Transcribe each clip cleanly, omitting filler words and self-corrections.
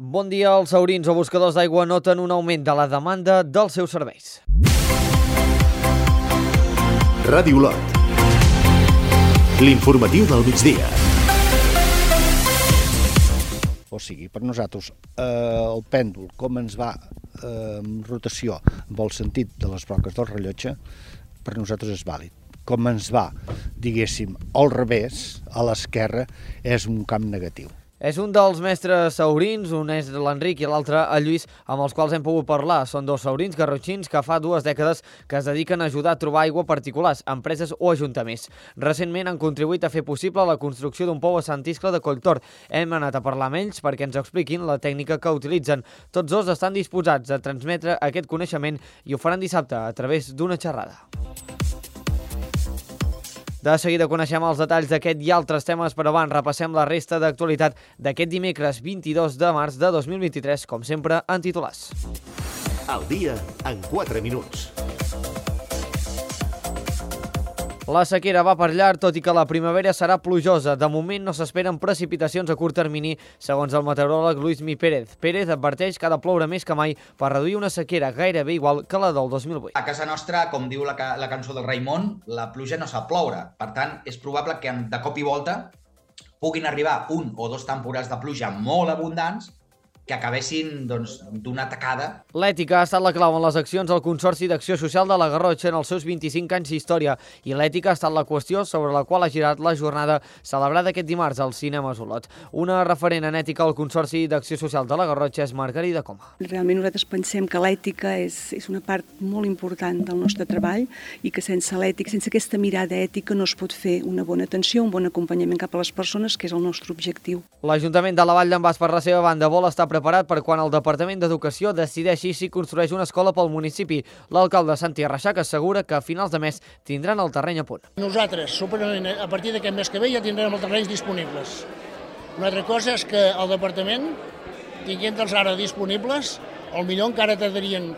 Bon dia. Els saurins o buscadors d'aigua noten un augment de la demanda dels seus serveis. Ràdio Olot. L'informatiu del migdia. O sigui, per nosaltres, el pèndol, com ens va en rotació amb el sentit de les broques del rellotge, per nosaltres és vàlid. Com ens va, diguéssim, al revés, a l'esquerra, és un camp negatiu. És un dels mestres saurins, un és l'Enric i l'altre el Lluís, amb els quals hem pogut parlar. Són dos saurins garrotxins que fa 2 dècades que es dediquen a ajudar a trobar aigua a particulars, empreses o ajuntaments. Recentment han contribuït a fer possible la construcció d'un pou a Sant Iscle de Colltor. Hem anat a parlar amb ells perquè ens expliquin la tècnica que utilitzen. Tots dos estan disposats a transmetre aquest coneixement i ho faran dissabte a través d'una xerrada. De seguida coneixem els detalls d'aquest i altres temes, però abans repassem la resta d'actualitat d'aquest dimecres 22 de març de 2023, com sempre, en titulars. El dia en 4 minuts. La sequera va per llarg, tot i que la primavera serà plujosa. De moment no s'esperen precipitacions a curt termini, segons el meteoròleg Luismi Pérez. Pérez adverteix que ha de ploure més que mai per reduir una sequera gairebé igual que la del 2008. A casa nostra, com diu la cançó del Raimon, la pluja no sap ploure. Per tant, és probable que de cop i volta puguin arribar 1 o 2 temporades de pluja molt abundants que acabessin d'una tacada. L'ètica ha estat la clau en les accions del Consorci d'Acció Social de la Garrotxa en els seus 25 anys d'història i l'ètica ha estat la qüestió sobre la qual ha girat la jornada celebrada aquest dimarts al Cinema Olot. Una referent en ètica al Consorci d'Acció Social de la Garrotxa és Margarida Coma. Realment nosaltres pensem que l'ètica és una part molt important del nostre treball i que sense l'ètica, sense aquesta mirada ètica no es pot fer una bona atenció, un bon acompanyament cap a les persones, que és el nostre objectiu. L'Ajuntament de la Vall d'en Bas, per la seva banda, vol estar preparat per quan el Departament d'Educació decideixi si construeix una escola pel municipi. L'alcalde Santi Arreixac assegura que a finals de mes tindran el terreny a punt. Nosaltres, a partir d'aquest mes que ve, ja tindrem els terrenys disponibles. Una altra cosa és que el Departament, tinguent-los ara disponibles, potser encara tardarien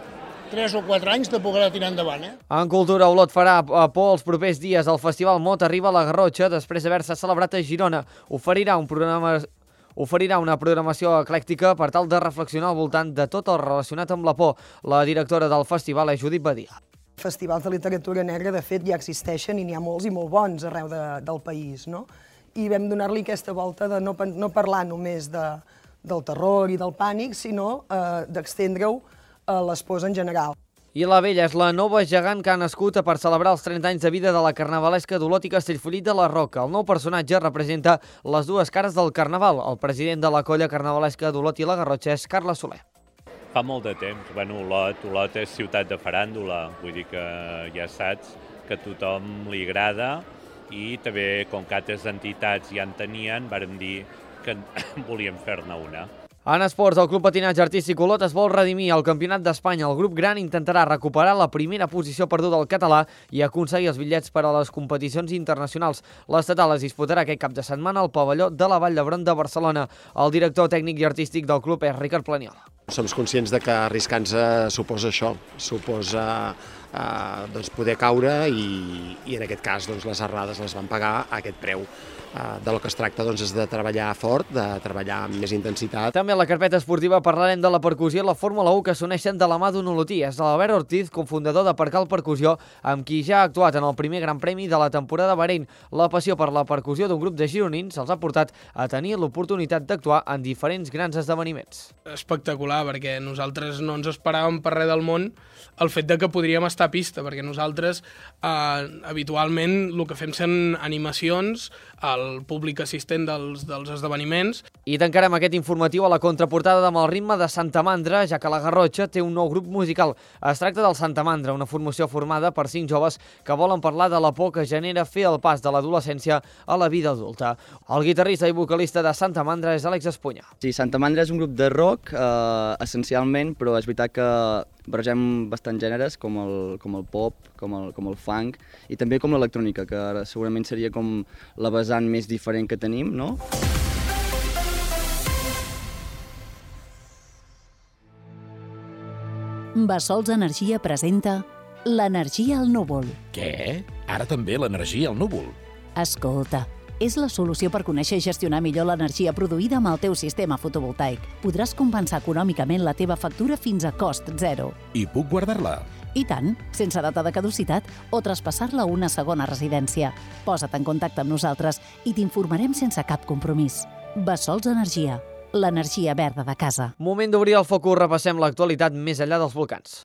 3 o 4 anys de poder tirar endavant. En cultura, Olot farà a por els propers dies. El Festival Mot arriba a la Garrotxa després d'haver-se celebrat a Girona. Oferirà una programació eclèctica per tal de reflexionar al voltant de tot el relacionat amb la por. La directora del festival és Judit Badia. Festivals de literatura negra, de fet, ja existeixen i n'hi ha molts i molt bons arreu del país, no? I vam donar-li aquesta volta de no parlar només del terror i del pànic, sinó d'estendre-ho a les pors en general. I la Vella és la nova gegant que ha nascut per celebrar els 30 anys de vida de la carnavalesca d'Olot i Castellfollit de la Roca. El nou personatge representa les dues cares del carnaval. El president de la colla carnavalesca d'Olot i la Garrotxa és Carles Soler. Fa molt de temps. Olot és ciutat de faràndula, vull dir que ja saps que a tothom li agrada i també, com que altres entitats ja en tenien, vàrem dir que volíem fer-ne una. En esports, el Club Patinatge Artístic Olot es vol redimir al Campionat d'Espanya. El grup gran intentarà recuperar la primera posició perduda al català i aconseguir els bitllets per a les competicions internacionals. L'estatal es disputarà aquest cap de setmana al pavelló de la Vall d'Hebron de Barcelona. El director tècnic i artístic del club és Ricard Planiola. Som conscients de que arriscar-nos suposa això, suposa poder caure i en aquest cas les errades les van pagar a aquest preu. Del que es tracta és de treballar fort, de treballar amb més intensitat. També a la carpeta esportiva parlarem de la percussió i la Fórmula 1 que s'uneixen de la mà d'un olotí. És l'Albert Ortiz, cofundador de Percal Percussió, amb qui ja ha actuat en el primer Gran Premi de la temporada a Bahrein. La passió per la percussió d'un grup de gironins els ha portat a tenir l'oportunitat d'actuar en diferents grans esdeveniments. Espectacular, perquè nosaltres no ens esperàvem per res del món el fet de que podríem estar a pista, perquè nosaltres habitualment el que fem són animacions al públic assistent dels esdeveniments. I tancarem aquest informatiu a la contraportada amb el ritme de Santa Mandra, ja que la Garrotxa té un nou grup musical. Es tracta del Santa Mandra, una formació formada per 5 joves que volen parlar de la por que genera fer el pas de l'adolescència a la vida adulta. El guitarrista i vocalista de Santa Mandra és Àlex Espunya. Sí, Santa Mandra és un grup de rock, essencialment, però és veritat que barregem bastants gèneres, com el pop, com el funk, i també com l'electrònica, que segurament seria com la vessant més diferent que tenim, no? Bassols Energia presenta l'energia al núvol. Què? Ara també l'energia al núvol? Escolta, És la solució per conèixer i gestionar millor l'energia produïda amb el teu sistema fotovoltaic. Podràs compensar econòmicament la teva factura fins a cost zero. I puc guardar-la? I tant, sense data de caducitat o traspassar-la a una segona residència. Posa't en contacte amb nosaltres i t'informarem sense cap compromís. Bessols Energia, l'energia verda de casa. Moment d'obrir el focus, repassem l'actualitat més enllà dels volcans.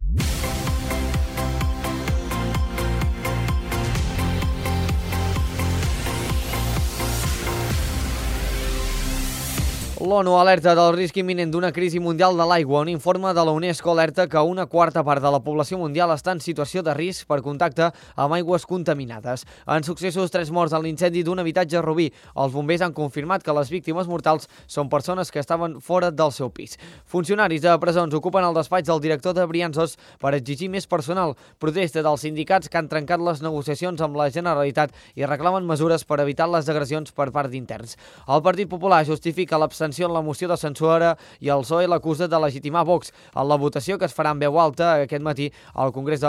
L'ONU alerta del risc imminent d'una crisi mundial de l'aigua. Un informe de la UNESCO alerta que una quarta part de la població mundial està en situació de risc per contacte amb aigües contaminades. En successos 3 morts en l'incendi d'un habitatge a Rubí. Els bombers han confirmat que les víctimes mortals són persones que estaven fora del seu pis. Funcionaris de presons ocupen el despatx del director de Brianços per exigir més personal. Protesta dels sindicats que han trencat les negociacions amb la Generalitat i reclamen mesures per evitar les agressions per part d'interns. El Partit Popular justifica l'abstenció en la moció de censura i el PSOE l'acusa de legitimar Vox. En la votació que es farà en veu alta aquest matí al Congrés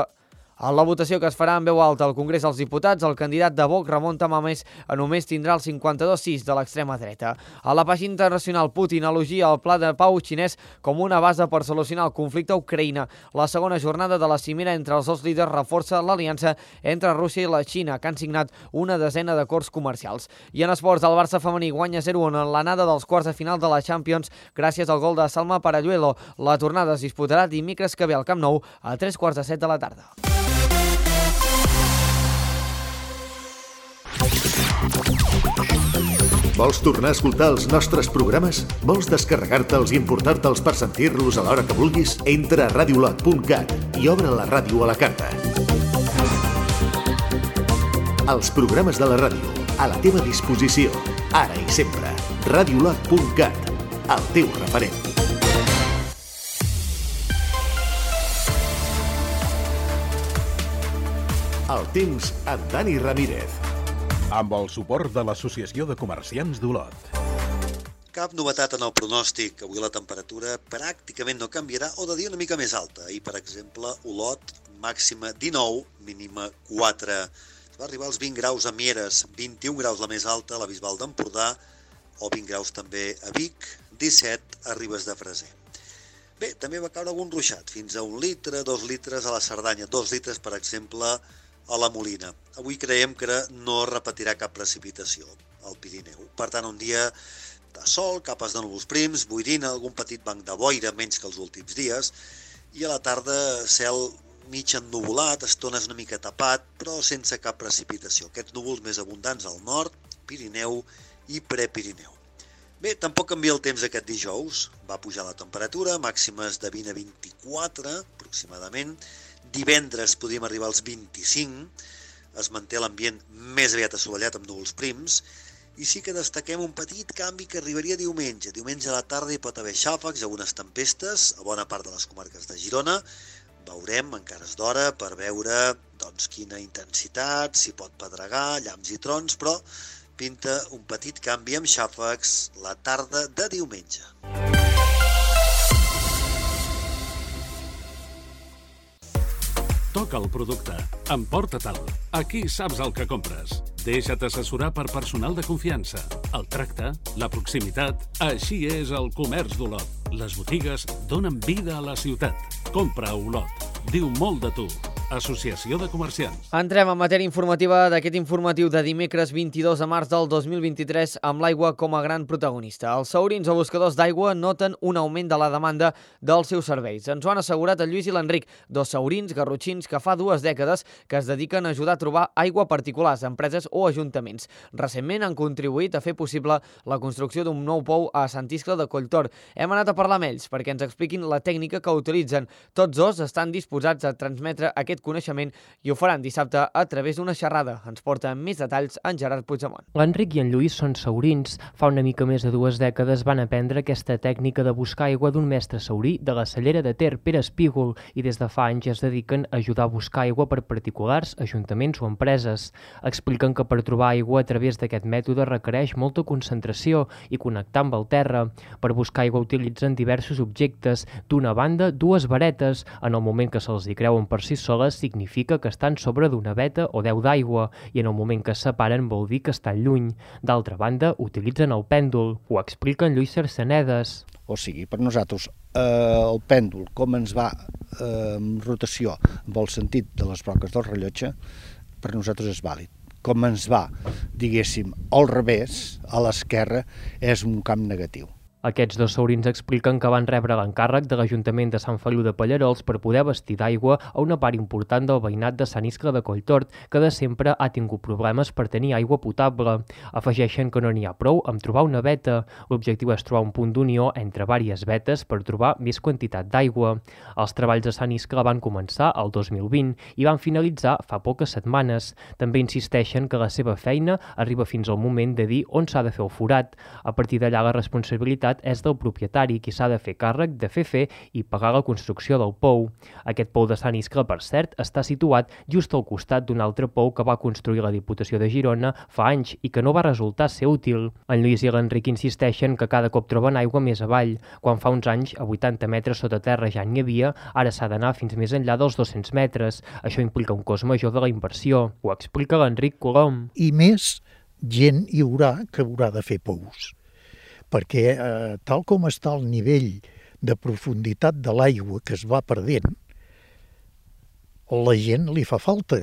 dels Diputats, el candidat de Vox, Ramon Tamames, només tindrà el 52,6 de l'extrema dreta. A la pàgina internacional, Putin elogia el pla de pau xinès com una base per solucionar el conflicte a Ucraïna. La segona jornada de la cimera entre els dos líders reforça l'aliança entre Rússia i la Xina, que han signat una desena d'acords comercials. I en esports, el Barça femení guanya 0-1 en l'anada dels quarts de final de la Champions gràcies al gol de Salma Paralluelo. La tornada es disputarà dimecres que ve al Camp Nou a 3:45 de la tarda. Vols tornar a escoltar els nostres programes? Vols descarregar-te'ls i importar-te'ls per sentir-los a l'hora que vulguis? Entra a radiolot.cat i obre la ràdio a la carta. Els programes de la ràdio, a la teva disposició, ara i sempre. Radiolot.cat, el teu referent. El temps amb Dani Ramírez. Amb el suport de l'Associació de Comerciants d'Olot. Cap novetat en el pronòstic. Avui la temperatura pràcticament no canviarà o de dia una mica més alta. Ahir, per exemple, Olot, màxima 19, mínima 4. Es va arribar als 20 graus a Mieres, 21 graus la més alta a la Bisbal d'Empordà, o 20 graus també a Vic, 17 a Ribes de Freser. Bé, també va caure algun ruixat, fins a 1 litre, 2 litres a la Cerdanya, 2 litres, per exemple, a la Molina. Avui creiem que no repetirà cap precipitació al Pirineu. Per tant, un dia de sol, capes de núvols prims, boirina, algun petit banc de boira, menys que els últims dies, i a la tarda cel mig ennuvolat, estones una mica tapat, però sense cap precipitació. Aquests núvols més abundants al nord, Pirineu i Prepirineu. Bé, tampoc canvia el temps aquest dijous. Va pujar la temperatura, màximes de 20 a 24 aproximadament. Divendres podríem arribar als 25, es manté l'ambient més aviat assolellat amb núvols prims, i sí que destaquem un petit canvi que arribaria diumenge. Diumenge a la tarda hi pot haver xàfecs, algunes tempestes a bona part de les comarques de Girona. Veurem, encara és d'hora, per veure quina intensitat, si pot pedregar, llamps i trons, però pinta un petit canvi amb xàfecs la tarda de diumenge. Toca el producte. Emporta-te'l. Aquí saps el que compres. Deixa't assessorar per personal de confiança. El tracte, la proximitat... Així és el comerç d'Olot. Les botigues donen vida a la ciutat. Compra a Olot. Diu molt de tu. Associació de Comerciants. Entrem en matèria informativa d'aquest informatiu de dimecres 22 de març del 2023 amb l'aigua com a gran protagonista. Els saurins o buscadors d'aigua noten un augment de la demanda dels seus serveis. Ens ho han assegurat el Lluís i l'Enric, dos saurins garrotxins que fa 2 dècades que es dediquen a ajudar a trobar aigua a particulars, empreses o ajuntaments. Recentment han contribuït a fer possible la construcció d'un nou pou a Sant Iscle de Colltor. Hem anat a parlar amb ells perquè ens expliquin la tècnica que utilitzen. Tots dos estan disposats a transmetre aquest coneixement i ho faran dissabte a través d'una xerrada. Ens porta més detalls en Gerard Puigdemont. L'Enric i en Lluís són saurins. Fa una mica més de 2 dècades van aprendre aquesta tècnica de buscar aigua d'un mestre saurí de la cellera de Ter, Pere Espígol, i des de fa anys es dediquen a ajudar a buscar aigua per particulars, ajuntaments o empreses. Expliquen que per trobar aigua a través d'aquest mètode requereix molta concentració i connectar amb el terra. Per buscar aigua utilitzen diversos objectes. D'una banda, 2 varetes. En el moment que se'ls hi creuen per si soles, paralleles significa que estan sobre d'una veta o 10 d'aigua i en el moment que es separen vol dir que estan lluny. D'altra banda, utilitzen el pèndol. Ho explica en Lluís Cercenedes. O sigui, per nosaltres, el pèndol, com ens va en rotació amb el sentit de les broques del rellotge, per nosaltres és vàlid. Com ens va, diguéssim, al revés, a l'esquerra, és un camp negatiu. Aquests dos saurins expliquen que van rebre l'encàrrec de l'Ajuntament de Sant Feliu de Pallerols per poder abastir d'aigua a una part important del veïnat de Sant Iscle de Colltort, que de sempre ha tingut problemes per tenir aigua potable. Afegeixen que no n'hi ha prou amb trobar una veta. L'objectiu és trobar un punt d'unió entre diverses vetes per trobar més quantitat d'aigua. Els treballs de Sant Iscle van començar el 2020 i van finalitzar fa poques setmanes. També insisteixen que la seva feina arriba fins al moment de dir on s'ha de fer el forat. A partir d'allà la responsabilitat és del propietari, qui s'ha de fer càrrec de fer i pagar la construcció del pou. Aquest pou de Sant Iscle, per cert, està situat just al costat d'un altre pou que va construir la Diputació de Girona fa anys i que no va resultar ser útil. En Lluís i l'Enric insisteixen que cada cop troben aigua més avall. Quan fa uns anys, a 80 metres sota terra ja n'hi havia, ara s'ha d'anar fins més enllà dels 200 metres. Això implica un cost major de la inversió. Ho explica l'Enric Colom. I més gent hi haurà que haurà de fer pous, perquè tal com està el nivell de profunditat de l'aigua que es va perdent, la gent li fa falta,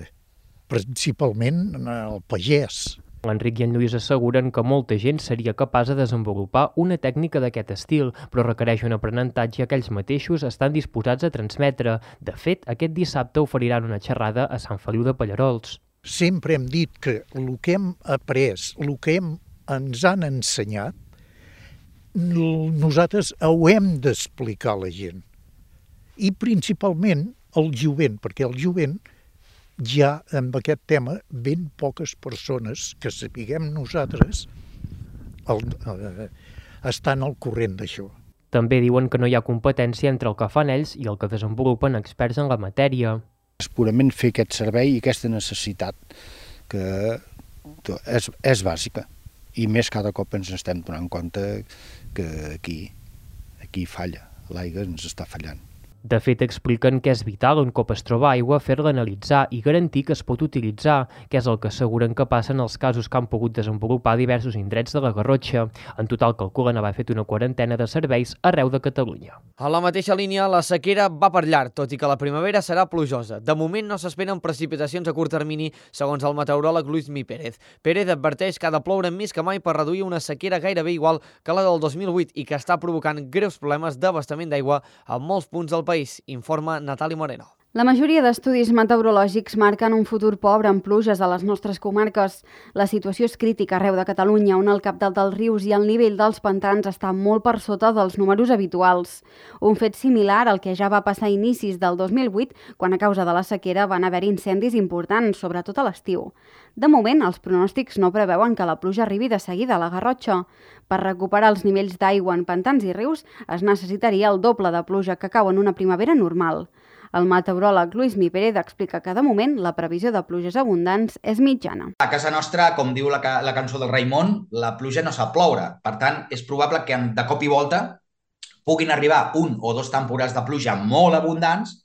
principalment al pagès. L'Enric i en Lluís asseguren que molta gent seria capaç de desenvolupar una tècnica d'aquest estil, però requereix un aprenentatge que ells mateixos estan disposats a transmetre. De fet, aquest dissabte oferiran una xerrada a Sant Feliu de Pallerols. Sempre hem dit que el que hem après, el que ens han ensenyat, nosaltres ho hem d'explicar a la gent. I principalment al jovent, perquè el jovent ja amb aquest tema ben poques persones que sapiguem nosaltres estan al corrent d'això. També diuen que no hi ha competència entre el que fan ells i el que desenvolupen experts en la matèria. És purament fer aquest servei i aquesta necessitat que és bàsica. I més cada cop ens estem donant compte que aquí falla, l'aigua ens està fallant. De fet, expliquen que és vital un cop es troba aigua fer-la analitzar i garantir que es pot utilitzar, que és el que asseguren que passa en els casos que han pogut desenvolupar diversos indrets de la Garrotxa. En total calculen haver fet una quarantena de serveis arreu de Catalunya. A la mateixa línia, la sequera va per llarg, tot i que la primavera serà plujosa. De moment no s'esperen precipitacions a curt termini, segons el meteoròleg Luis Mi Pérez. Pérez adverteix que ha de ploure més que mai per reduir una sequera gairebé igual que la del 2008 i que està provocant greus problemes d'abastament d'aigua a molts punts del país, informa Natàlia Moreno. La majoria d'estudis meteorològics marquen un futur pobre amb pluges a les nostres comarques. La situació és crítica arreu de Catalunya, on el cabdal dels rius i el nivell dels pantans està molt per sota dels números habituals. Un fet similar al que ja va passar a inicis del 2008, quan a causa de la sequera van haver incendis importants, sobretot a l'estiu. De moment, els pronòstics no preveuen que la pluja arribi de seguida a la Garrotxa. Per recuperar els nivells d'aigua en pantans i rius es necessitaria el doble de pluja que cau en una primavera normal. El meteoròleg Luis Mi Pérez explica que de moment la previsió de pluges abundants és mitjana. A casa nostra, com diu la cançó del Raimon, la pluja no sap ploure. Per tant, és probable que de cop i volta puguin arribar un o dos temporals de pluja molt abundants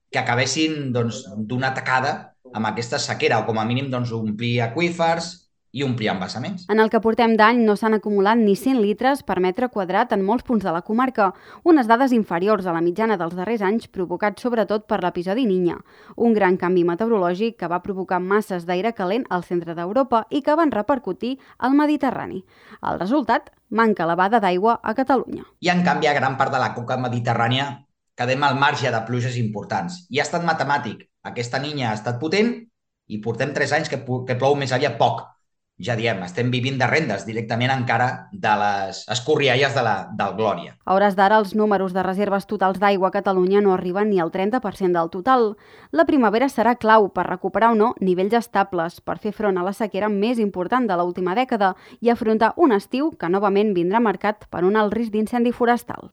que acabessin d'una tacada amb aquesta sequera, o com a mínim omplir aqüífers i omplir embassaments. En el que portem d'any no s'han acumulat ni 100 litres per metre quadrat en molts punts de la comarca, unes dades inferiors a la mitjana dels darrers anys, provocats sobretot per l'episodi Niña, un gran canvi meteorològic que va provocar masses d'aire calent al centre d'Europa i que van repercutir al Mediterrani. El resultat, manca elevada d'aigua a Catalunya. I en canvi, a gran part de la conca mediterrània quedem al marge de pluges importants. I ha estat matemàtic. Aquesta Niña ha estat potent i portem 3 anys que plou més aviat poc. Ja diem, estem vivint de rendes directament encara de les escorrialles del Glòria. A hores d'ara, els números de reserves totals d'aigua a Catalunya no arriben ni al 30% del total. La primavera serà clau per recuperar o no nivells estables, per fer front a la sequera més important de l'última dècada i afrontar un estiu que novament vindrà marcat per un alt risc d'incendi forestal.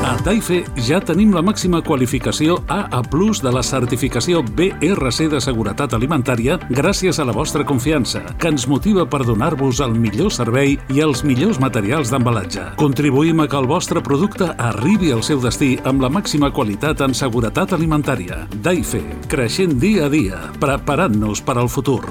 A Taife ja tenim la màxima qualificació AA+ de la certificació BRC de seguretat alimentària gràcies a la vostra confiança, que ens motiva definitiva per donar-vos el millor servei i els millors materials d'embalatge. Contribuïm a que el vostre producte arribi al seu destí amb la màxima qualitat en seguretat alimentària. Daife, creixent dia a dia, preparant-nos per al futur.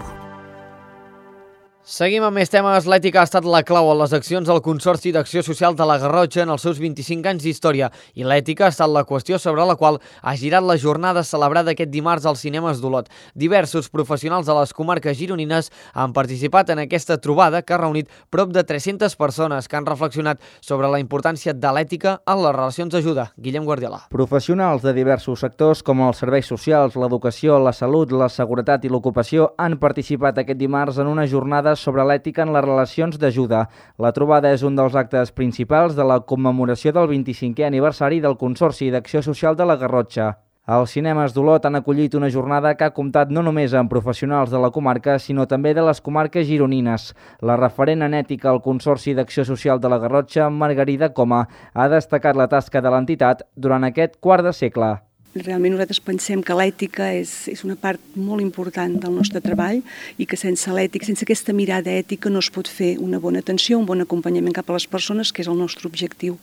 Seguim amb més temes. L'ètica ha estat la clau en les accions del Consorci d'Acció Social de la Garrotxa en els seus 25 anys d'història i l'ètica ha estat la qüestió sobre la qual ha girat la jornada celebrada aquest dimarts als cinemes d'Olot. Diversos professionals de les comarques gironines han participat en aquesta trobada que ha reunit prop de 300 persones que han reflexionat sobre la importància de l'ètica en les relacions d'ajuda. Guillem Guardiola. Professionals de diversos sectors com els serveis socials, l'educació, la salut, la seguretat i l'ocupació han participat aquest dimarts en una jornada sobre l'ètica en les relacions d'ajuda. La trobada és un dels actes principals de la commemoració del 25è aniversari del Consorci d'Acció Social de la Garrotxa. Els cinemes d'Olot han acollit una jornada que ha comptat no només amb professionals de la comarca, sinó també de les comarques gironines. La referent en ètica al Consorci d'Acció Social de la Garrotxa, Margarida Coma, ha destacat la tasca de l'entitat durant aquest quart de segle. Realment nosaltres pensem que l'ètica és una part molt important del nostre treball i que sense l'ètica, sense aquesta mirada ètica no es pot fer una bona atenció, un bon acompanyament cap a les persones, que és el nostre objectiu.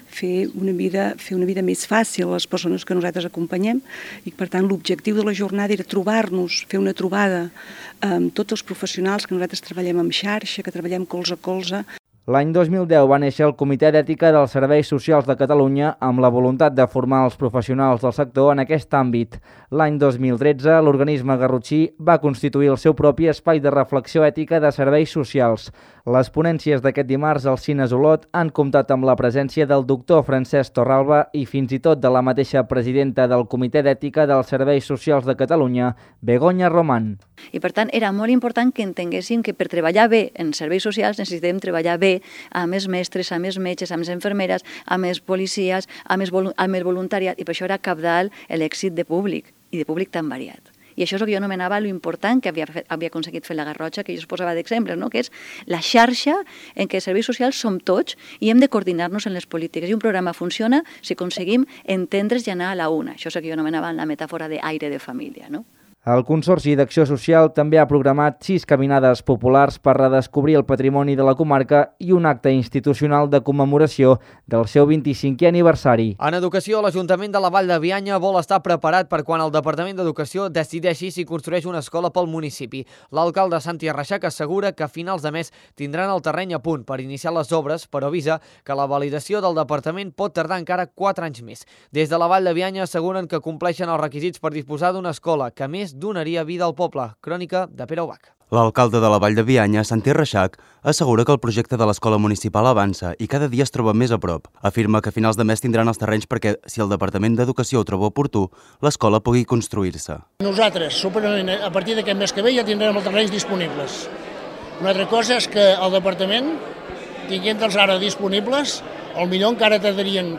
Fer una vida més fàcil a les persones que nosaltres acompanyem i per tant l'objectiu de la jornada era trobar-nos, fer una trobada amb tots els professionals que nosaltres treballem en xarxa, que treballem colze a colze. L'any 2010 va néixer el Comitè d'Ètica dels Serveis Socials de Catalunya amb la voluntat de formar els professionals del sector en aquest àmbit. L'any 2013, l'organisme garrotxí va constituir el seu propi espai de reflexió ètica de serveis socials. Les ponències d'aquest dimarts als Cines Olot han comptat amb la presència del doctor Francesc Torralba i fins i tot de la mateixa presidenta del Comitè d'Ètica dels Serveis Socials de Catalunya, Begoña Román. I per tant era molt important que entenguéssim que per treballar bé en serveis socials necessitem treballar bé amb els mestres, amb els metges, amb les infermeres, amb els policies, amb el voluntariat, i per això era cabdal l'èxit de públic, i de públic tan variat. I això és el que jo anomenava l'important que havia aconseguit fer la Garrotxa, que jo es posava d'exemple, no? Que és la xarxa en què els serveis socials som tots i hem de coordinar-nos en les polítiques. I un programa funciona si aconseguim entendre's i anar a la una. Això és el que jo anomenava la metàfora d'aire de família, no? El Consorci d'Acció Social també ha programat 6 caminades populars per redescobrir el patrimoni de la comarca i un acte institucional de commemoració del seu 25è aniversari. En educació, l'Ajuntament de la Vall de Bianya vol estar preparat per quan el Departament d'Educació decideixi si construeix una escola pel municipi. L'alcalde Santi Arreixac assegura que a finals de mes tindran el terreny a punt per iniciar les obres, però avisa que la validació del departament pot tardar encara 4 anys més. Des de la Vall de Bianya asseguren que compleixen els requisits per disposar d'una escola que, a més, donaria vida al poble. Crònica de Pere Ubach. L'alcalde de la Vall de Bianya, Santi Arreixac, assegura que el projecte de l'escola municipal avança i cada dia es troba més a prop. Afirma que a finals de mes tindran els terrenys perquè, si el Departament d'Educació ho troba oportú, l'escola pugui construir-se. Nosaltres, a partir d'aquest mes que ve, ja tindrem els terrenys disponibles. Una altra cosa és que el Departament, tinguent-els ara disponibles, potser encara tardarien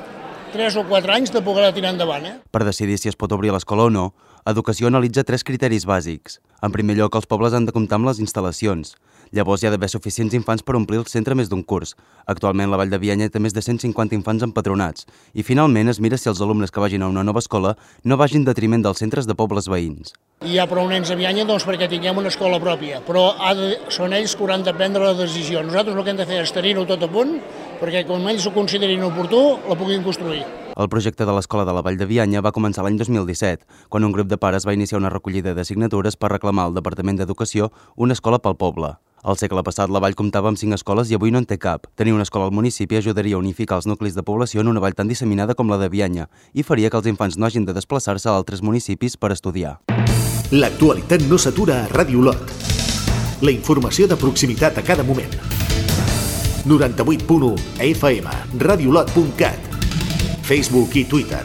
3 o 4 anys de poder-la tirar endavant. Per decidir si es pot obrir l'escola o no, Educació analitza 3 criteris bàsics. En primer lloc, els pobles han de comptar amb les instal·lacions. Llavors hi ha d'haver suficients infants per omplir el centre més d'un curs. Actualment la Vall de Bianya té més de 150 infants empadronats. I finalment es mira si els alumnes que vagin a una nova escola no vagin en detriment dels centres de pobles veïns. Hi ha prou nens a Bianya perquè tinguem una escola pròpia, però són ells que hauran de prendre la decisió. Nosaltres el que hem de fer és tenir-ho tot a punt perquè quan ells ho considerin oportú la puguin construir. El projecte de l'escola de la Vall de Bianya va començar l'any 2017, quan un grup de pares va iniciar una recollida de signatures per reclamar al Departament d'Educació una escola pel poble. Al segle passat, la vall comptava amb 5 escoles i avui no en té cap. Tenir una escola al municipi ajudaria a unificar els nuclis de població en una vall tan disseminada com la de Bianya i faria que els infants no hagin de desplaçar-se a altres municipis per estudiar. L'actualitat no s'atura a Ràdio Olot. La informació de proximitat a cada moment. 98.1 FM, radioolot.cat, Facebook i Twitter.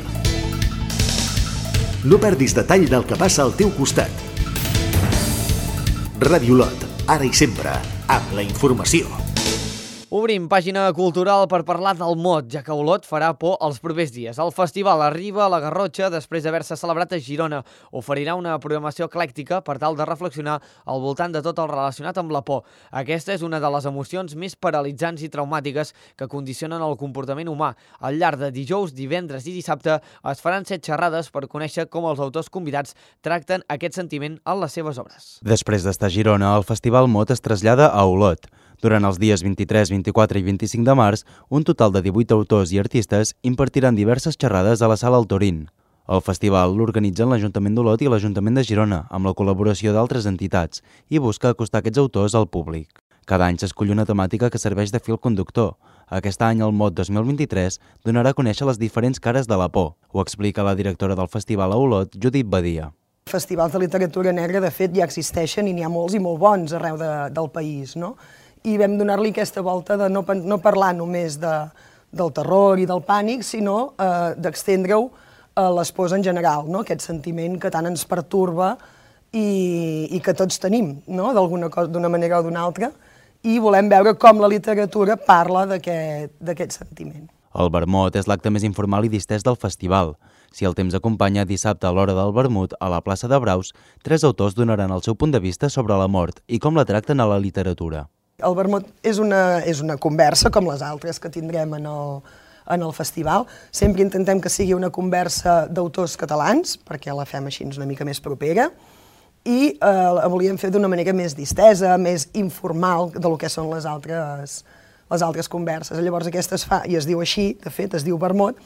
No perdis detall del que passa al teu costat. Ràdio Olot, ara i sempre, amb la informació. Obrim pàgina cultural per parlar del Mot, ja que Olot farà por els propers dies. El festival arriba a la Garrotxa després d'haver-se celebrat a Girona. Oferirà una programació eclèctica per tal de reflexionar al voltant de tot el relacionat amb la por. Aquesta és una de les emocions més paralitzants i traumàtiques que condicionen el comportament humà. Al llarg de dijous, divendres i dissabte es faran 7 xerrades per conèixer com els autors convidats tracten aquest sentiment en les seves obres. Després d'estar a Girona, el Festival Mot es trasllada a Olot. Durant els dies 23, 24 i 25 de març, un total de 18 autors i artistes impartiran diverses xerrades a la Sala El Torín. El festival l'organitzen l'Ajuntament d'Olot i l'Ajuntament de Girona, amb la col·laboració d'altres entitats, i busca acostar aquests autors al públic. Cada any s'escull una temàtica que serveix de fil conductor. Aquest any, el Mot 2023 donarà a conèixer les diferents cares de la por. Ho explica la directora del festival a Olot, Judit Badia. Festivals de literatura negra, de fet, ja existeixen i n'hi ha molts i molt bons arreu del país, no? I vam donar-li aquesta volta de no parlar només del terror i del pànic, sinó d'estendre-ho a les pors en general, no? Aquest sentiment que tant ens pertorba i que tots tenim, no? D'una manera o d'una altra, i volem veure com la literatura parla d'aquest sentiment. El vermut és l'acte més informal i distès del festival. Si el temps acompanya, dissabte a l'hora del vermut, a la plaça de Braus, 3 autors donaran el seu punt de vista sobre la mort i com la tracten a la literatura. El vermut és una conversa, com les altres que tindrem en el festival. Sempre intentem que sigui una conversa d'autors catalans, perquè la fem així una mica més propera, i la volíem fer d'una manera més distesa, més informal del que són les altres converses. Llavors aquesta es fa, i es diu així, de fet es diu vermut,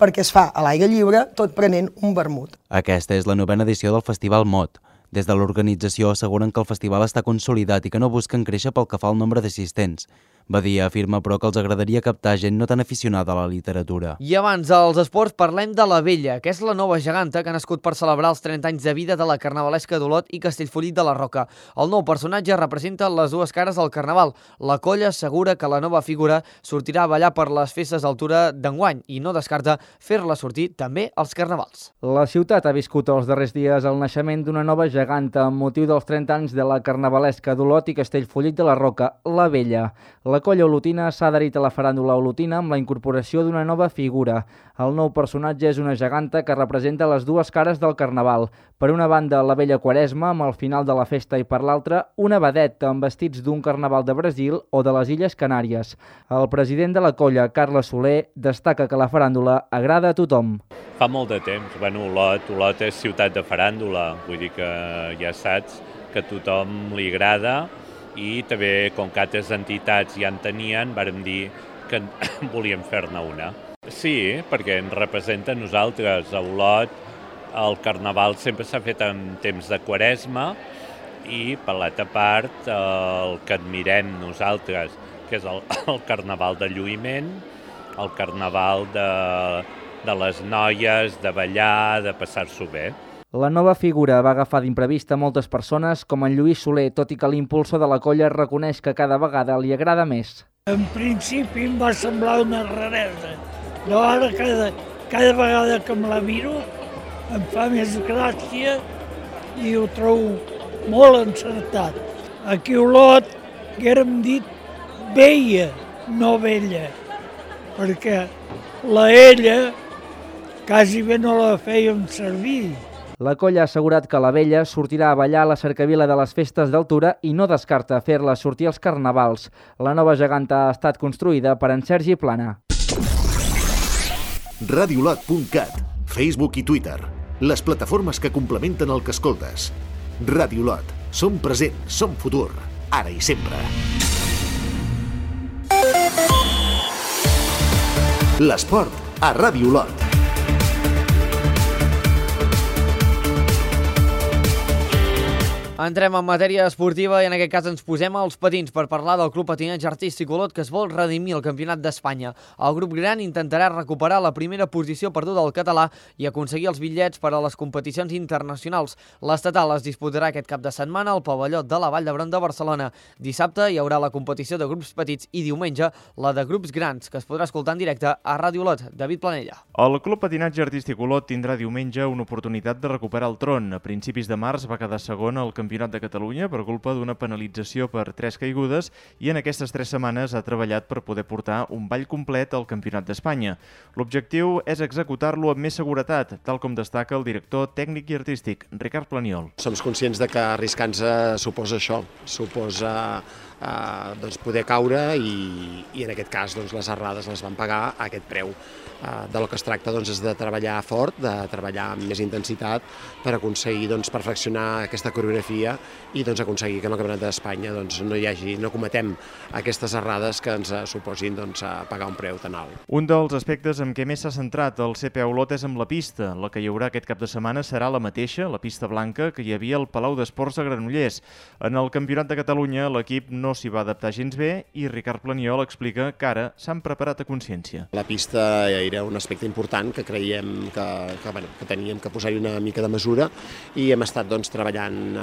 perquè es fa a l'aire lliure, tot prenent un vermut. Aquesta és la 9ª edició del Festival Mot. Des de l'organització asseguren que el festival està consolidat i que no busquen créixer pel que fa al nombre d'assistents. Badia afirma, però, que els agradaria captar gent no tan aficionada a la literatura. I abans dels esports parlem de la Vella, que és la nova geganta que ha nascut per celebrar els 30 anys de vida de la Carnavalesca d'Olot i Castellfollit de la Roca. El nou personatge representa les dues cares del Carnaval. La colla assegura que la nova figura sortirà a ballar per les festes d'altura d'enguany i no descarta fer-la sortir també als Carnavals. La ciutat ha viscut els darrers dies el naixement d'una nova geganta amb motiu dels 30 anys de la Carnavalesca d'Olot i Castellfollit de la Roca, la Vella. La colla olotina s'ha adherit a la faràndula olotina amb la incorporació d'una nova figura. El nou personatge és una geganta que representa les dues cares del Carnaval. Per una banda, la vella Quaresma, amb el final de la festa, i per l'altra, una vedetta amb vestits d'un Carnaval de Brasil o de les Illes Canàries. El president de la colla, Carles Soler, destaca que la faràndula agrada a tothom. Fa molt de temps. Olot és ciutat de faràndula, vull dir que ja saps que a tothom li agrada, i també, com que altres entitats ja en tenien, vàrem dir que volíem fer-ne una. Sí, perquè ens representa a nosaltres. A Olot el Carnaval sempre s'ha fet en temps de Quaresma i, per l'altra part, el que admirem nosaltres, que és el Carnaval de lluïment, el Carnaval de les noies, de ballar, de passar-s'ho bé. La nova figura va agafar d'imprevista moltes persones, com en Lluís Soler, tot i que l'impulsor de la colla reconeix que cada vegada li agrada més. En principi em va semblar una raresa, però ara cada vegada que me la miro em fa més gràcia i ho trobo molt encertat. Aquí a Olot haguérem dit veia, no vella, perquè la ella quasi bé no la fèiem servir. La colla ha assegurat que la vella sortirà a ballar a la cercavila de les festes d'altura i no descarta fer-la sortir als carnavals. La nova geganta ha estat construïda per en Sergi Plana. Radiolot.cat, Facebook i Twitter, les plataformes que complementen el que escoltes. Radiolot, som present, som futur, ara i sempre. L'esport a Radiolot. Entrem en matèria esportiva i en aquest cas ens posem als patins per parlar del Club Patinatge Artístic Olot, que es vol redimir el Campionat d'Espanya. El grup gran intentarà recuperar la primera posició perduda del català i aconseguir els bitllets per a les competicions internacionals. L'estatal es disputarà aquest cap de setmana al pavelló de la Vall d'Hebron de Barcelona. Dissabte hi haurà la competició de grups petits i diumenge la de grups grans, que es podrà escoltar en directe a Ràdio Olot. David Planella. El Club Patinatge Artístic Olot tindrà diumenge una oportunitat de recuperar el tron. A principis de març va quedar segon al Campionat Campionat de Catalunya per culpa d'una penalització per 3 caigudes i en aquestes 3 setmanes ha treballat per poder portar un ball complet al Campionat d'Espanya. L'objectiu és executar-lo amb més seguretat, tal com destaca el director tècnic i artístic, Ricard Planiol. Som conscients de que arriscar-nos suposa això, suposa doncs poder caure i en aquest cas doncs, les errades les van pagar a aquest preu. Del que es tracta doncs, és de treballar fort, de treballar amb més intensitat per aconseguir doncs, perfeccionar aquesta coreografia i doncs, aconseguir que en el Campionat d'Espanya doncs, no cometem aquestes errades que ens suposin doncs, pagar un preu tan alt. Un dels aspectes en què més s'ha centrat el CPA Olot és amb la pista. La que hi haurà aquest cap de setmana serà la mateixa, la pista blanca, que hi havia al Palau d'Esports a Granollers. En el Campionat de Catalunya l'equip no s'hi va adaptar gens bé i Ricard Planiol explica que ara s'han preparat a consciència. La pista era un aspecte important que creiem que teníem que posar-hi una mica de mesura i hem estat doncs, treballant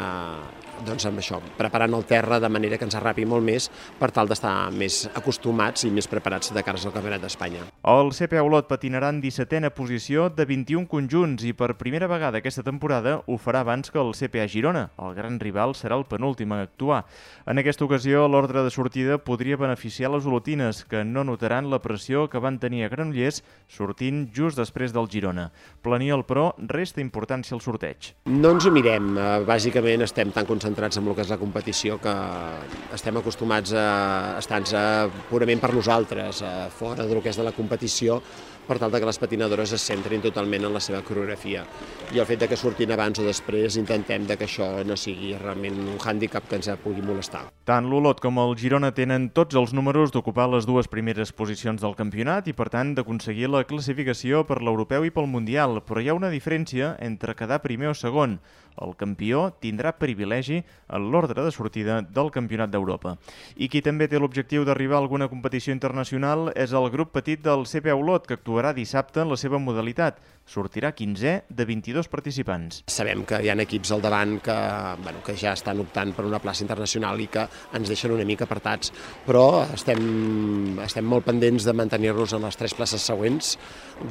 amb això, preparant el terra de manera que ens arrapi molt més per tal d'estar més acostumats i més preparats de cara al Campionat d'Espanya. El CPA Olot patinarà en 17a posició de 21 conjunts i per primera vegada aquesta temporada ho farà abans que el CPA Girona. El gran rival serà el penúltim a actuar. En aquesta ocasió, l'ordre de sortida podria beneficiar les olotines, que no notaran la pressió que van tenir a Granollers sortint just després del Girona. Planiol, però, resta importància al sorteig. No ens ho mirem. Bàsicament estem tan concentrats en el que és la competició que estem acostumats a estar-nos purament per nosaltres, fora del que és de la competició, per tal que les patinadores es centrin totalment en la seva coreografia. I el fet de que surtin abans o després intentem que això no sigui realment un hàndicap que ens pugui molestar. Tant l'Olot com el Girona tenen tots els números d'ocupar les dues primeres posicions del campionat i, per tant, d'aconseguir la classificació per l'europeu i pel mundial, però hi ha una diferència entre quedar primer o segon. El campió tindrà privilegi en l'ordre de sortida del Campionat d'Europa. I qui també té l'objectiu d'arribar a alguna competició internacional és el grup petit del CPA Olot, que actuarà dissabte en la seva modalitat. Sortirà 15è de 22 participants. Sabem que hi ha equips al davant que ja estan optant per una plaça internacional i que ens deixen una mica apartats, però estem molt pendents de mantenir-nos en les 3 places següents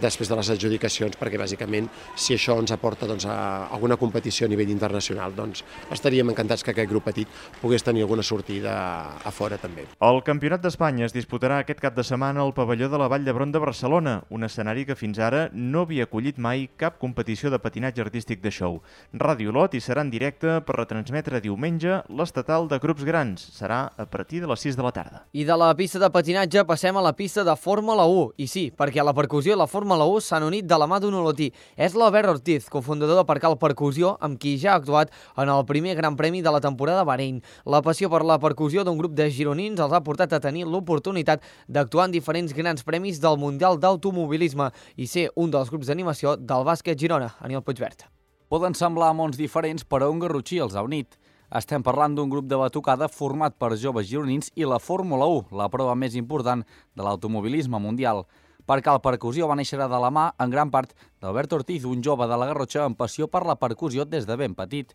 després de les adjudicacions, perquè bàsicament si això ens aporta a alguna competició a nivell internacional, doncs estaríem encantats que aquest grup petit pogués tenir alguna sortida a fora també. El Campionat d'Espanya es disputarà aquest cap de setmana al pavelló de la Vall d'Hebron de Barcelona, un escenari que fins ara no havia acollit mai cap competició de patinatge artístic de show. Ràdio Olot hi serà en directe per retransmetre diumenge l'estatal de grups grans. Serà a partir de les 6 de la tarda. I de la pista de patinatge passem a la pista de Fórmula 1. I sí, perquè la percussió i la Fórmula 1 s'han unit de la mà d'un olotí. És l'Albert Ortiz, cofundador de Percal Percussió, amb qui ja ha actuat en el primer Gran Premi de la temporada a Bahrein. La passió per la percussió d'un grup de gironins els ha portat a tenir l'oportunitat d'actuar en diferents grans premis del Mundial d'Automobilisme i ser un dels grups d'animació del bàsquet Girona. Aniol Puigvert. Poden semblar mons diferents, però un garrotxí els ha unit. Estem parlant d'un grup de batucada format per joves gironins i la Fórmula 1, la prova més important de l'automobilisme mundial. Percal Percussió va néixer de la mà, en gran part, d'Albert Ortiz, un jove de la Garrotxa amb passió per la percussió des de ben petit.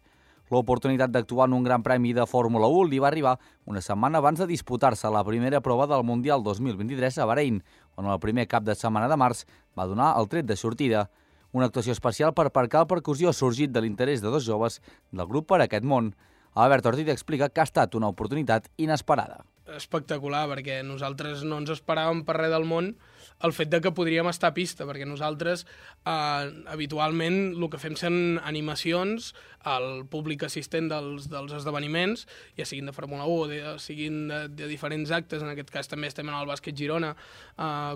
L'oportunitat d'actuar en un gran premi de Fórmula 1 li va arribar una setmana abans de disputar-se la primera prova del Mundial 2023 a Bahrein, on el primer cap de setmana de març va donar el tret de sortida. Una actuació especial per Percal Percussió ha sorgit de l'interès de 2 joves del grup per aquest món. Albert Ortiz explica que ha estat una oportunitat inesperada. Espectacular, perquè nosaltres no ens esperàvem per res del món el fet de que podríem estar a pista, perquè nosaltres habitualment el que fem són animacions al públic assistent dels esdeveniments, ja siguin de Fórmula 1 o siguin de diferents actes. En aquest cas també estem en el Bàsquet Girona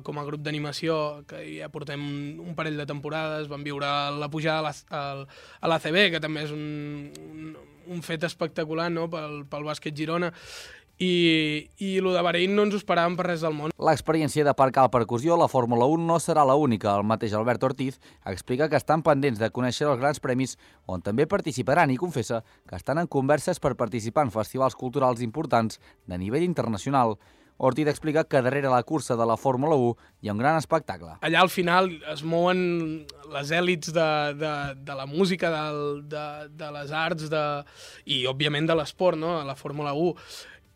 com a grup d'animació, que ja portem un parell de temporades. Vam viure la pujada a l'ACB, que també és un fet espectacular, no?, pel Bàsquet Girona. I el de Bahrein no ens ho esperàvem per res del món. L'experiència de Percal Percussió a la Fórmula 1 no serà l'única. El mateix Albert Ortiz explica que estan pendents de conèixer els grans premis on també participaran i confessa que estan en converses per participar en festivals culturals importants de nivell internacional. Ortiz explica que darrere la cursa de la Fórmula 1 hi ha un gran espectacle. Allà al final es mouen les èlits de la música, de les arts i, òbviament, de l'esport, no?, a la Fórmula 1.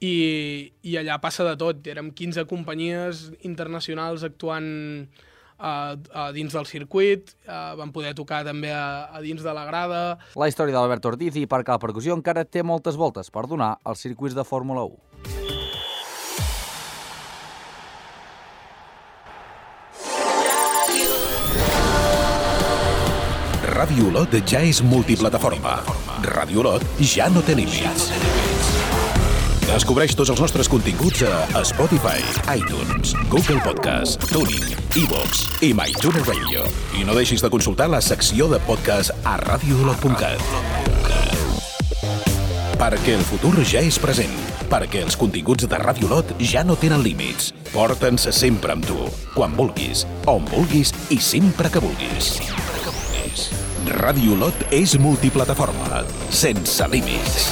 I allà passa de tot. Érem 15 companyies internacionals actuant dins del circuit, vam poder tocar també a dins de la grada. La història d'Albert Ortiz i Parc a la Percussió encara té moltes voltes per donar als circuits de Fórmula 1. Ràdio Olot ja és multiplataforma. Ràdio Olot ja no té límits. Descobreix tots els nostres continguts a Spotify, iTunes, Google Podcast, TuneIn, iVoox i MyTuner Radio. I no deixis de consultar la secció de podcast a radioolot.cat. Perquè el futur ja és present. Perquè els continguts de Ràdio Olot ja no tenen límits. Porta'ns sempre amb tu. Quan vulguis, on vulguis i sempre que vulguis. Ràdio Olot és multiplataforma, sense límits.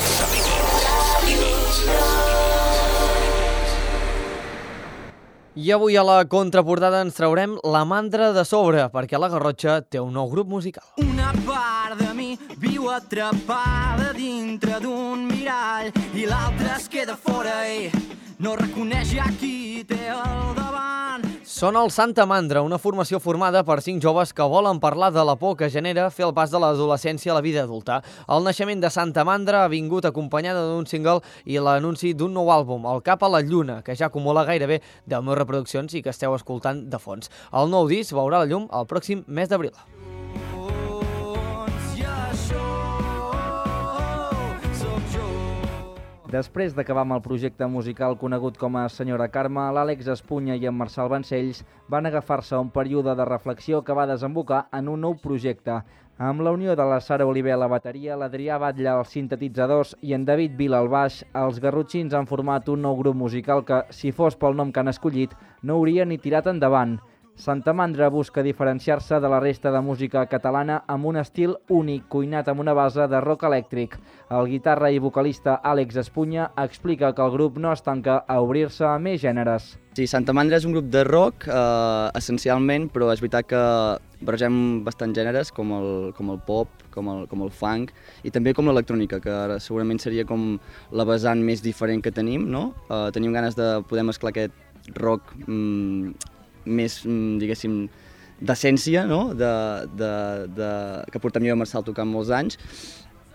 I avui a la contraportada ens traurem La Mandra de sobre, perquè la Garrotxa té un nou grup musical. Una part de mi viu atrapada dintre d'un mirall i l'altra es queda fora i no reconeix ja qui té al davant. Són el Santa Mandra, una formació formada per 5 joves que volen parlar de la por que genera fer el pas de l'adolescència a la vida adulta. El naixement de Santa Mandra ha vingut acompanyada d'un single i l'anunci d'un nou àlbum, El cap a la lluna, que ja acumula gairebé 10.000 reproduccions i que esteu escoltant de fons. El nou disc veurà la llum el pròxim mes d'abril. Després d'acabar amb el projecte musical conegut com a Senyora Carme, l'Àlex Espunya i en Marçal Vancells van agafar-se a un període de reflexió que va desembocar en un nou projecte. Amb la unió de la Sara Oliver a la bateria, l'Adrià Batlle als sintetitzadors i en David Vila al baix, els garrotxins han format un nou grup musical que, si fos pel nom que han escollit, no hauria ni tirat endavant. Santa Mandra busca diferenciar-se de la resta de música catalana amb un estil únic, cuinat amb una base de rock elèctric. El guitarra i vocalista Àlex Espunya explica que el grup no es tanca a obrir-se a més gèneres. Sí, Santa Mandra és un grup de rock, essencialment, però és veritat que barregem bastants gèneres, com el pop, com el funk, i també com l'electrònica, que segurament seria com la vessant més diferent que tenim, no? Tenim ganes de poder mesclar aquest rock més, diguéssim, d'essència, no? Que portem jo i Marçal tocant molts anys,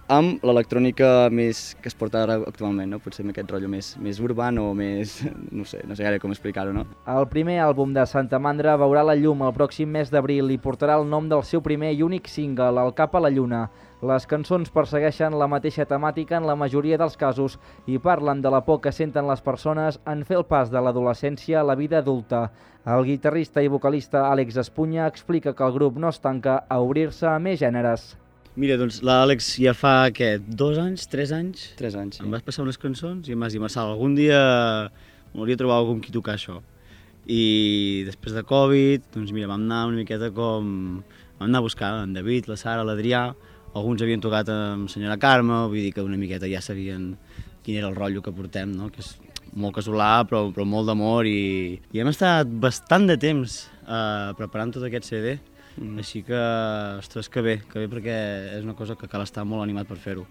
amb l'electrònica més que es porta ara actualment, no? Potser amb aquest rotllo més urbà o més... no sé gaire com explicar-ho, no? El primer àlbum de Santa Mandra veurà la llum el pròxim mes d'abril i portarà el nom del seu primer i únic single, El cap a la lluna. Les cançons persegueixen la mateixa temàtica en la majoria dels casos i parlen de la por que senten les persones en fer el pas de l'adolescència a la vida adulta. El guitarrista i vocalista Àlex Espunya explica que el grup no es tanca a obrir-se a més gèneres. Mira, doncs l'Àlex ja fa, 2 anys, 3 anys? 3 anys, sí. Em vas passar unes cançons i em vas dir, Marçal, algun dia m'hauria de trobar algú amb qui tocar això. I després de Covid, doncs mira, vam anar una miqueta com... Vam anar a buscar en David, la Sara, l'Adrià, alguns havien tocat amb Senyora Carme, vull dir que una miqueta ja sabien quin era el rotllo que portem, no? Que és molt casolà, però molt d'amor, i hem estat bastant de temps preparant tot aquest CD. Així que, ostres, que bé, perquè és una cosa que cal estar molt animat per fer-ho.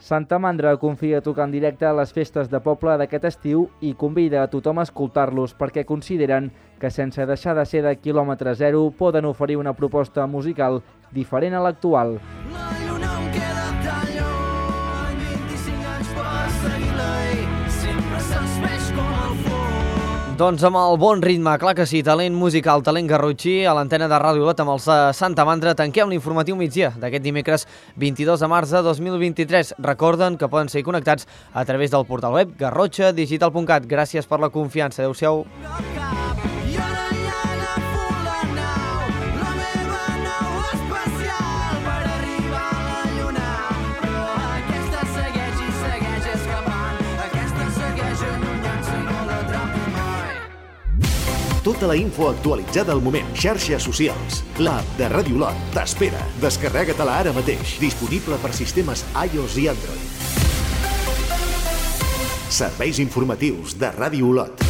Santa Mandra confia tocar en directe a les festes de poble d'aquest estiu i convida a tothom a escoltar-los perquè consideren que sense deixar de ser de quilòmetre zero poden oferir una proposta musical diferent a l'actual. La lluna em queda tan lluny, 25 anys per seguir-la i sempre se'ns veix com el foc. Doncs amb el bon ritme, clar que sí, talent musical, talent garrotxí, a l'antena de Ràdio Olot amb els Santa Mandra, tanquem l'informatiu migdia d'aquest dimecres 22 de març de 2023. Recorden que poden seguir connectats a través del portal web garrotxadigital.cat. Gràcies per la confiança. Adéu-siau. Tota la info actualitzada al moment. Xarxes socials. L'app de Ràdio Olot t'espera. Descarrega-te-la ara mateix. Disponible per sistemes iOS i Android. Serveis informatius de Ràdio Olot.